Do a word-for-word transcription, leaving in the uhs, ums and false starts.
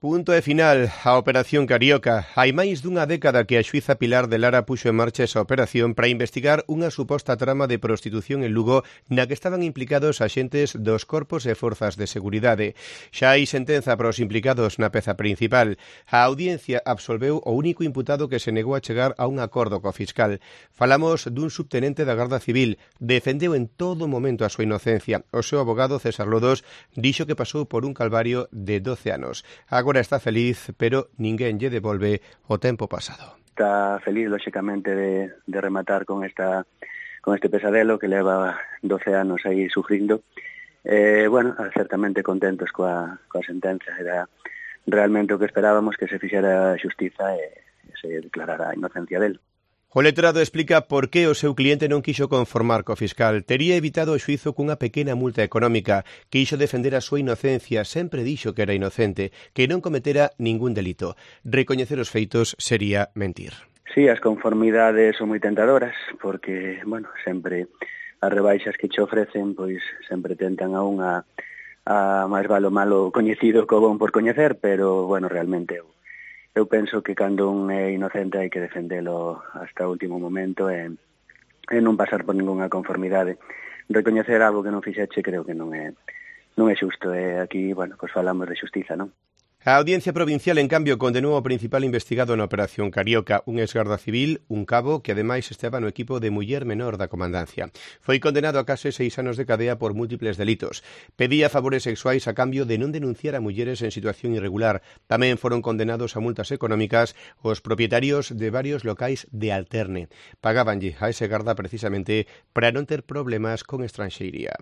Punto e final a Operación Carioca. Hai máis dunha década que a xuíza Pilar de Lara puxo en marcha esa operación para investigar unha suposta trama de prostitución en Lugo na que estaban implicados axentes dos corpos e forzas de seguridade. Xa hai sentenza para os implicados na peza principal. A audiencia absolveu o único imputado que se negou a chegar a un acordo co fiscal. Falamos dun subtenente da Garda Civil. Defendeu en todo momento a súa inocencia. O seu abogado, César Lodos, dixo que pasou por un calvario de doce anos. Agora está feliz, pero ninguén lle devolve o tempo pasado. Está feliz, lóxicamente, de, de rematar con esta con este pesadelo que leva doce anos aí sufrindo. Eh, bueno, certamente contentos coa, coa sentenza. Era realmente o que esperábamos, que se fixera xustiza e se declarara a inocencia del. O letrado explica por que o seu cliente non quixo conformar co fiscal. Tería evitado o xuízo cunha pequena multa económica. Quixo defender a súa inocencia. Sempre dixo que era inocente, que non cometera ningún delito. Recoñecer os feitos sería mentir. Sí, as conformidades son moi tentadoras, porque, bueno, sempre as rebaixas que che ofrecen, pois sempre tentan a unha a máis valo malo coñecido co bon por coñecer, pero, bueno, realmente eu Eu penso que cando un é inocente hai que defendelo hasta o último momento e, e non pasar por ningunha conformidade. Recoñecer algo que non fixeche creo que non é non é xusto. E aquí, bueno, pues falamos de xustiza, non? A Audiencia Provincial, en cambio, condenou ao principal investigado na Operación Carioca, un exgarda civil, un cabo, que ademais estaba no equipo de muller menor da comandancia. Foi condenado a case seis anos de cadea por múltiples delitos. Pedía favores sexuais a cambio de non denunciar a mulleres en situación irregular. Tamén foron condenados a multas económicas os propietarios de varios locais de Alterne. Pagábanlle a ese garda precisamente para non ter problemas con estranxeiría.